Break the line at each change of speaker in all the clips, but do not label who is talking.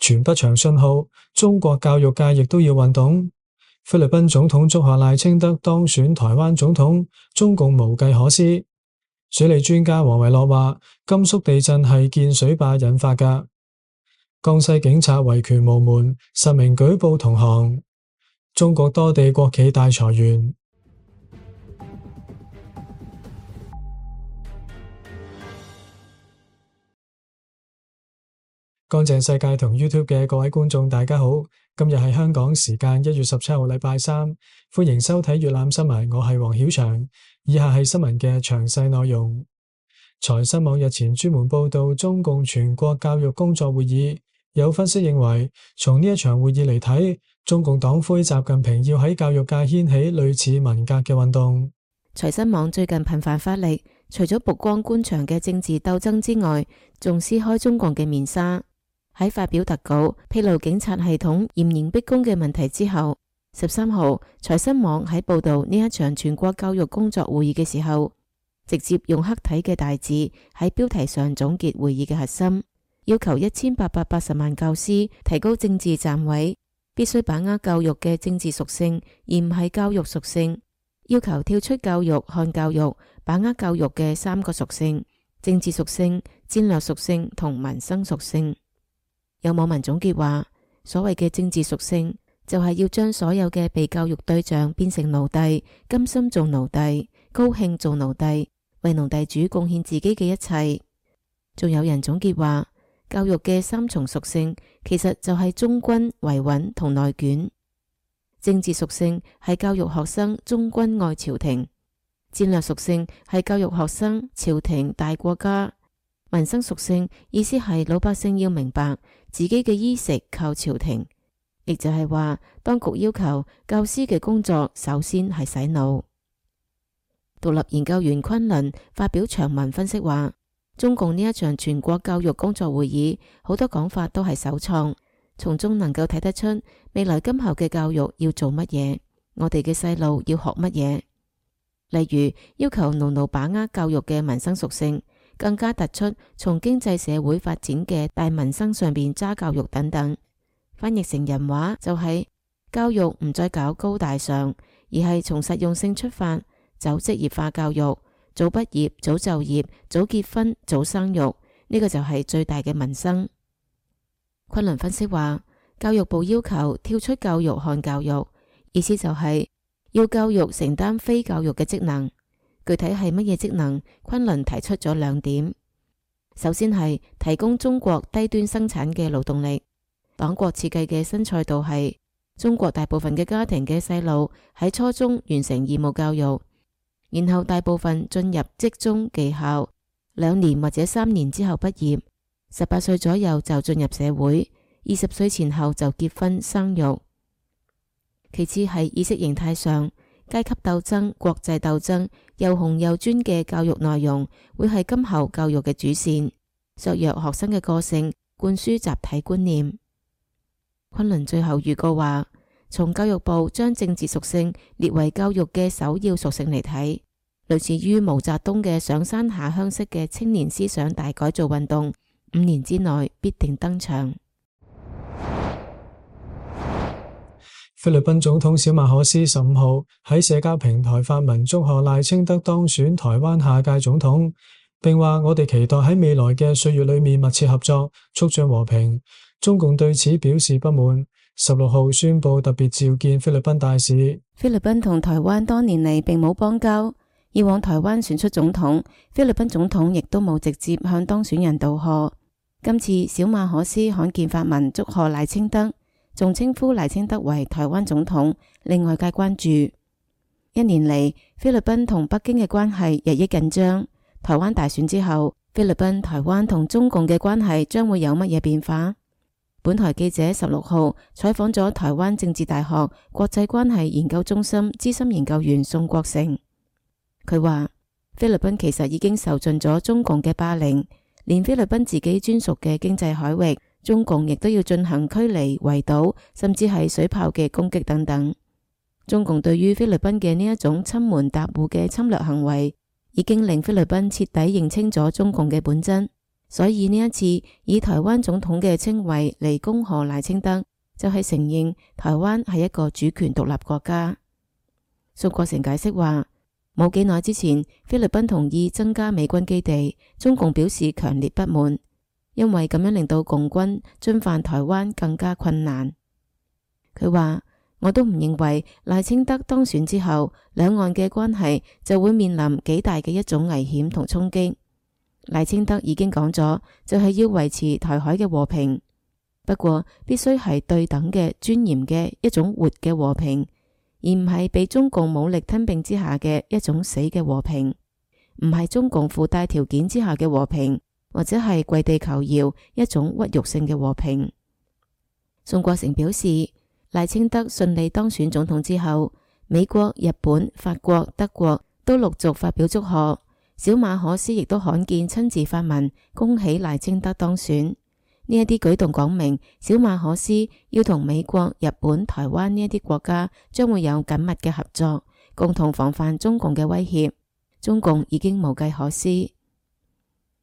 傳不長信號，中國教育界亦都要運動。菲律賓總統祝賀賴清德當選台灣總統，中共無計可施。水利專家黃維樂話，甘肅地震係建水壩引發㗎。江西警察維權無門，10名舉報同行。中國多地國企大裁員。乾淨世界同 YouTube 嘅各位觀眾大家好，今日係香港時間1月17號禮拜三，歡迎收睇粵覽新聞，我係黃曉翔。以下係新聞嘅詳細內容。財新網日前專門報道中共全國教育工作會議，有分析認為，從呢一場會議嚟睇，中共黨魁習近平要喺教育界掀起類似文革嘅運動。
財新網最近頻繁發力，除咗曝光官場嘅政治鬥爭之外，仲撕開中共嘅面紗。喺發表特稿披露警察系統嚴刑逼供嘅問題之後，13號財新網喺報道呢一場全國教育工作會議嘅時候，直接用黑體嘅大字喺標題上總結會議嘅核心，要求1880萬教師提高政治站位，必須把握教育嘅政治屬性，而唔係教育屬性，要求跳出教育看教育，把握教育嘅3個屬性：政治屬性、戰略屬性同民生屬性。有網民總結話，所謂嘅政治屬性就係要將所有嘅被教育對象變成奴隸，甘心做奴隸，高興做奴隸，為奴隸主貢獻自己嘅一切。仲有人總結話，教育嘅3重屬性其實就係忠君、維穩同內卷。政治屬性係教育學生忠君愛朝廷，戰略屬性係教育學生朝廷大國家，民生屬性意思係老百姓要明白自己嘅衣食靠朝廷，亦就係話當局要求教師嘅工作首先係洗腦。獨立研究員昆侖發表長文分析話，中共呢一場全國教育工作會議好多講法都係首創，從中能夠睇得出未來今後嘅教育要做乜嘢，我哋嘅細路要學乜嘢。例如要求牢牢把握教育嘅民生屬性，更加突出從經濟社會發展嘅大民生上邊揸教育等等。翻譯成人話就係教育唔再搞高大上，而係從實用性出發，走職業化教育，早畢業、早就業、早結婚、早生育，呢個就係最大嘅民生。昆侖分析話，教育部要求跳出教育看教育，意思就係要教育承擔非教育嘅職能。具體係乜嘢職能？昆侖提出咗2點。首先係提供中國低端生產嘅勞動力。黨國設計嘅新賽道係中國大部分嘅家庭嘅細路喺初中完成義務教育，然後大部分進入職中技校，2年或者3年之後畢業，18歲左右就進入社會，20歲前後就結婚生育。其次係意識形態上，階級鬥爭、國際鬥爭，又紅又專嘅教育內容會係今後教育嘅主線，削弱學生嘅個性，灌輸集體觀念。昆侖最後預告話，從教育部將政治屬性列為教育嘅首要屬性嚟睇，類似於毛澤東嘅上山下鄉式嘅青年思想大改造運動，5年之內必定登場。
菲律賓總統小馬可斯15號喺社交平台發文祝賀賴清德當選台灣下屆總統，並話我哋期待喺未來嘅歲月裏面密切合作，促進和平。中共對此表示不滿，16號宣布特別召見菲律賓大使。
菲律賓同台灣多年嚟並冇邦交，以往台灣選出總統，菲律賓總統亦都冇直接向當選人道賀。今次小馬可斯罕見發文祝賀賴清德，仲稱呼賴清德為台灣總統，令外界關注。1年嚟，菲律賓同北京嘅關係日益緊張。台灣大選之後，菲律賓、台灣同中共嘅關係將會有乜嘢變化？本台記者16號採訪咗台灣政治大學國際關係研究中心資深研究員宋國成，佢話菲律賓其實已經受盡咗中共嘅霸凌，連菲律賓自己專屬嘅經濟海域，中共亦都要進行驅離、圍堵，甚至係水炮嘅攻擊等等。中共對於菲律賓嘅呢一種侵門踏戶嘅侵略行為，已經令菲律賓徹底認清咗中共嘅本質。所以呢一次以台灣總統嘅稱謂嚟恭賀賴清德，就係承認台灣係一個主權獨立國家。宋國成解釋話，冇幾耐之前，菲律賓同意增加美軍基地，中共表示強烈不滿，因為咁樣令到共軍進犯台灣更加困難。佢話，我都唔認為賴清德當選之後，兩岸嘅關係就會面臨幾大嘅一種危險同衝擊。賴清德已經講咗，就係要維持台海嘅和平，不過必須係對等嘅、尊嚴嘅一種活嘅和平，而唔係被中共武力吞併之下嘅一種死嘅和平，唔係中共附帶條件之下嘅和平，或者係跪地求饒一種屈辱性嘅和平。宋國成表示，賴清德順利當選總統之後，美國、日本、法國、德國都陸續發表祝賀，小馬可斯亦都罕見親自發文恭喜賴清德當選。呢一啲舉動講明，小馬可斯要同美國、日本、台灣呢一啲國家將會有緊密嘅合作，共同防範中共嘅威脅。中共已經無計可施。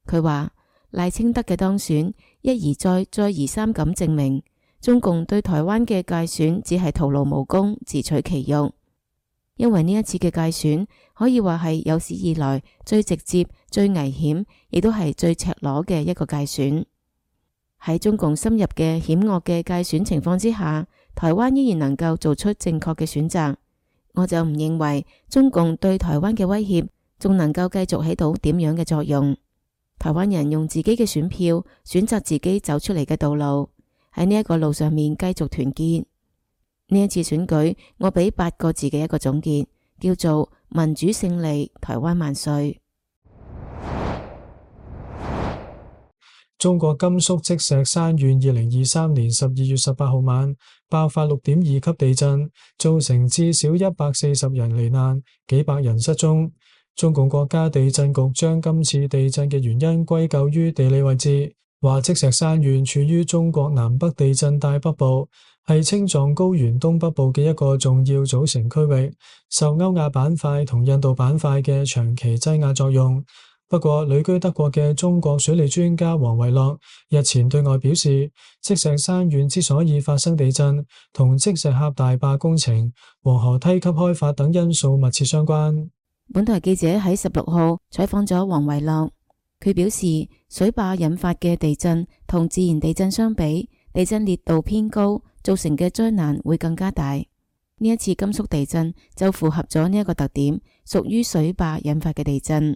佢話，賴清德嘅當選一而再、再而三咁證明，中共對台灣嘅介選只係徒勞無功、自取其辱。因為呢一次嘅介選可以話係有史以來最直接、最危險，亦都係最赤裸嘅一個介選。喺中共深入嘅險惡嘅介選情況之下，台灣依然能夠做出正確嘅選擇，我就唔認為中共對台灣嘅威脅仲能夠繼續起到點樣嘅作用。台灣人用自己嘅選票選擇自己走出嚟嘅道路，喺呢一個路上面繼續團結。呢一次選舉，我俾8個字嘅一個總結，叫做民主勝利，台灣萬歲。
中國甘肅積石山縣2023年12月18號晚爆發6.2級地震，造成至少140人罹難，幾百人失蹤。中共國家地震局將今次地震嘅原因歸咎於地理位置，話積石山縣處於中國南北地震帶北部，係青藏高原東北部嘅一個重要組成區域，受歐亞板塊同印度板塊嘅長期擠壓作用。不過，旅居德國嘅中國水利專家王維洛日前對外表示，積石山縣之所以發生地震，同積石峽大壩工程、黃河梯級開發等因素密切相關。
本台記者喺16號採訪咗王維洛，佢表示，水壩引發嘅地震同自然地震相比，地震烈度偏高，造成嘅災難會更加大。呢一次甘肅地震就符合咗呢一個特點，屬於水壩引發嘅地震。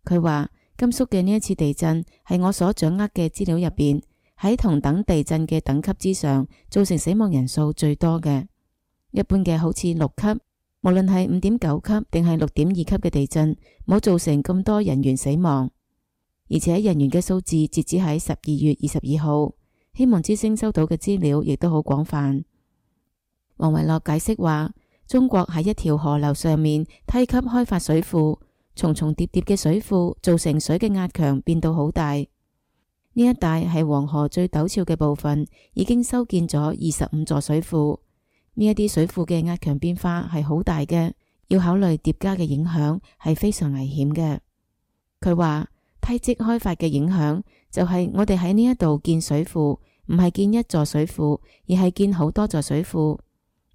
佢話，甘肅嘅呢一次地震係我所掌握嘅資料入邊，喺同等地震嘅等級之上，造成死亡人數最多嘅。一般嘅好似6級，無論係5.9級定係6.2級嘅地震，冇造成咁多人員死亡。而且人員嘅數字截止喺12月22號，希望之聲收到嘅資料亦都好廣泛。王維洛解釋話，中國喺一條河流上面梯級開發水庫，重重疊疊嘅水庫造成水嘅壓強變到好大。呢一帶係黃河最陡峭嘅部分，已經修建咗25座水庫。呢一啲水庫嘅壓強變化係好大嘅，要考慮疊加嘅影響係非常危險嘅。佢話梯積開發嘅影響就係我哋喺呢一度建水庫，唔係建一座水庫，而係建好多座水庫，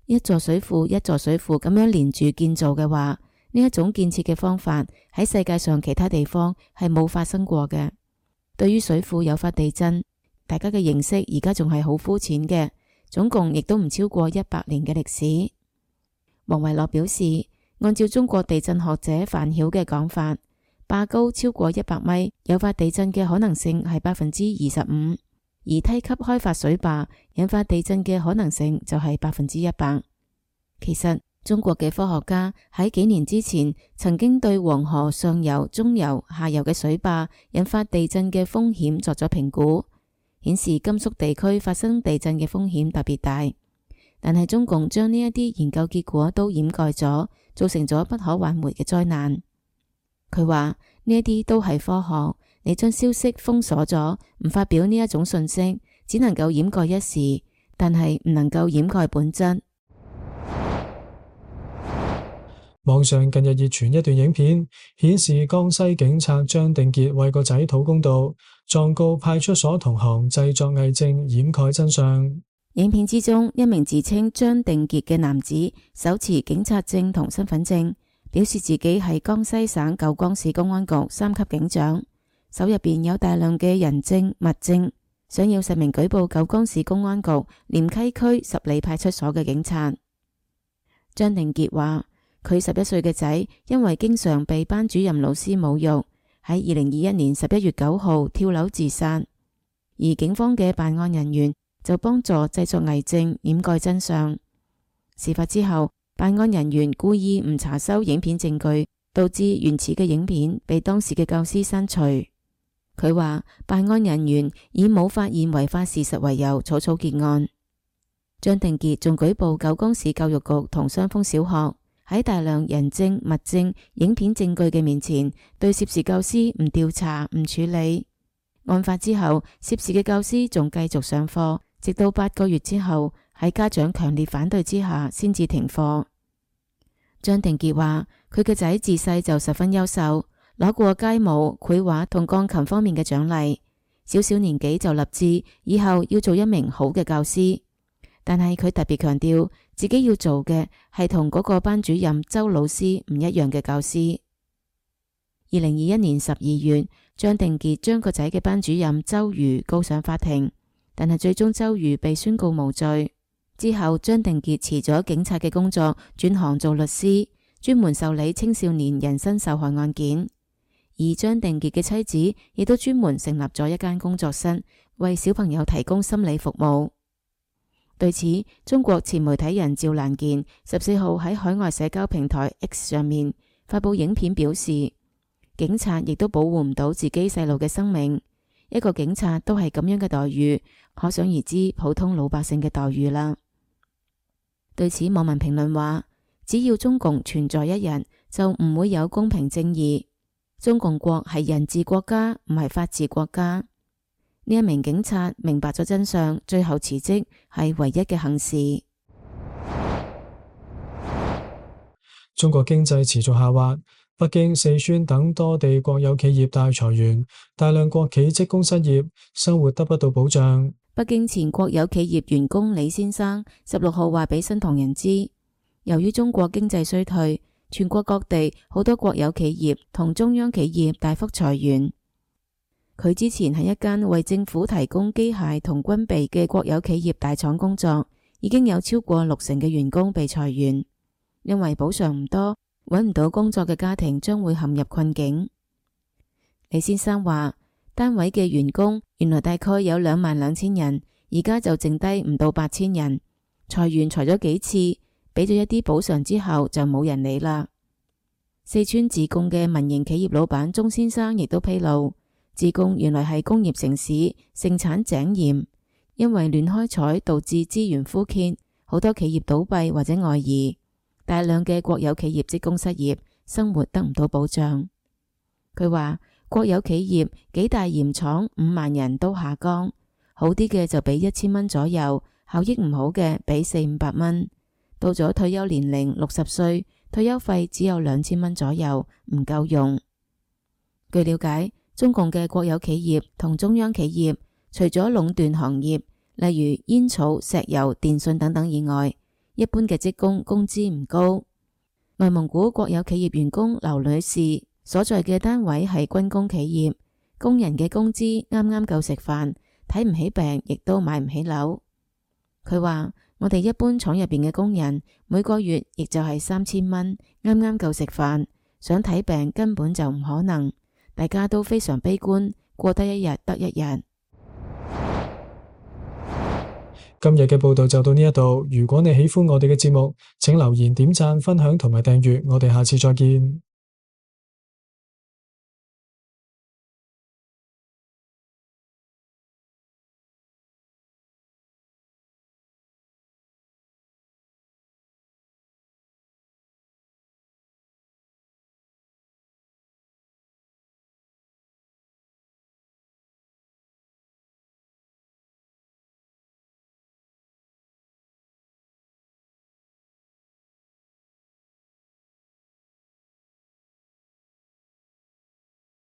一座水庫一座水庫咁樣連住建造嘅話，呢一種建設嘅方法喺世界上其他地方係冇發生過嘅。對於水庫誘發地震，大家嘅認識而家仲係好膚淺嘅，總共亦都唔超過100年嘅歷史。王維洛表示，按照中國地震學者范曉嘅講法，壩高超過100米，誘發地震嘅可能性係25%，而梯級開發水壩引發地震嘅可能性就係100%。其實中國嘅科學家喺幾年之前曾經對黃河上游、中游、下游嘅水壩引發地震嘅風險作咗評估，顯示甘肅地區發生地震嘅風險特別大。但係中共將呢一啲研究結果都掩蓋咗，造成咗不可挽回嘅災難。佢話呢一啲都係科學，你將消息封鎖咗，唔發表呢一種信息，只能夠掩蓋一時，但係唔能夠掩蓋本質。
網上近日熱傳一段影片，顯示江西警察張定傑為個仔討公道，狀告派出所同行製作偽證，掩蓋真相。
影片之中，一名自稱張定傑嘅男子手持警察證同身份證，表示自己係江西省九江市公安局3級警長，手入邊有大量嘅人證物證，想要實名舉報九江市公安局廉溪區十里派出所嘅警察。張定傑話，佢11歲嘅仔因為經常被班主任老師侮辱，喺2021年11月9號跳樓自殺，而警方嘅辦案人員就幫助製作偽證，掩蓋真相。事發之後，辦案人員故意唔查收影片證據，導致原始嘅影片被當時嘅教師刪除。佢話辦案人員以冇發現違法事實為由草草結案。張定傑仲舉報九江市教育局同雙峰小學喺大量人證、物證、影片證據嘅面前，對涉事教師唔調查、唔處理。案發之後，涉事嘅教師仲繼續上課，直到8個月之後，喺家長強烈反對之下，先至停課。張定傑話，佢嘅仔自細就十分優秀，攞過街舞、繪畫同鋼琴方面嘅獎勵，小年紀就立志以後要做一名好嘅教師。但係佢特別強調，自己要做嘅係同嗰個班主任周老師唔一樣嘅教師。2021年12月，張定傑將個仔嘅班主任周瑜告上法庭，但係最終周瑜被宣告無罪。之後，張定傑辭咗警察嘅工作，轉行做律師，專門受理青少年人身受害案件。而張定傑嘅妻子亦都專門成立咗一間工作室，為小朋友提供心理服務。對此，中國前媒體人趙蘭健14號喺海外社交平台 X 上面發佈影片，表示警察亦都保護唔到自己細路嘅生命，一個警察都係咁樣嘅待遇，可想而知普通老百姓嘅待遇啦。對此，網民評論話，只要中共存在一日，就唔會有公平正義。中共國係人治國家，唔係法治國家。呢一名警察明白咗真相，最後辭職係唯一嘅幸事。
中國經濟持續下滑，北京、四川等多地國有企業大裁員，大量國企職工失業，生活得不到保障。
北京前國有企業員工李先生16號話俾新唐人知，由於中國經濟衰退，全國各地好多國有企業同中央企業大幅裁員。佢之前喺一間為政府提供機械同軍備嘅國有企業大廠工作，已經有超過60%嘅員工被裁員，因為補償唔多，揾唔到工作嘅家庭將會陷入困境。李先生話，單位嘅員工原來大概有22,000人，而家就剩低唔到8,000人，裁員裁咗幾次，俾咗一啲補償之後就冇人理啦。四川自貢嘅民營企業老闆鐘先生亦都披露，自貢原來係工業城市，盛產井鹽，因為亂開採導致資源枯竭，好多企業倒閉或者外移，大量嘅國有企業職工失業，生活得唔到保障。佢話國有企業幾大鹽廠5萬人都下崗，好啲嘅就俾1000蚊左右，效益唔好嘅俾400-500蚊。到咗退休年齡60歲，退休費只有2000蚊左右，唔夠用。據了解，中共嘅國有企業同中央企業，除咗壟斷行業，例如煙草、石油、電信等等以外，一般嘅職工工資唔高。內蒙古國有企業員工劉女士所在嘅單位係軍工企業，工人嘅工資啱啱夠食飯，睇唔起病，亦都買唔起樓。佢話，我哋一般廠入邊嘅工人每個月亦就係3000蚊，啱啱夠食飯，想睇病根本就唔可能。大家都非常悲觀，過得一日得一日。
今日嘅報道就到呢一度，如果你喜歡我哋嘅節目，請留言、點讚、分享同埋訂閱，我哋下次再見。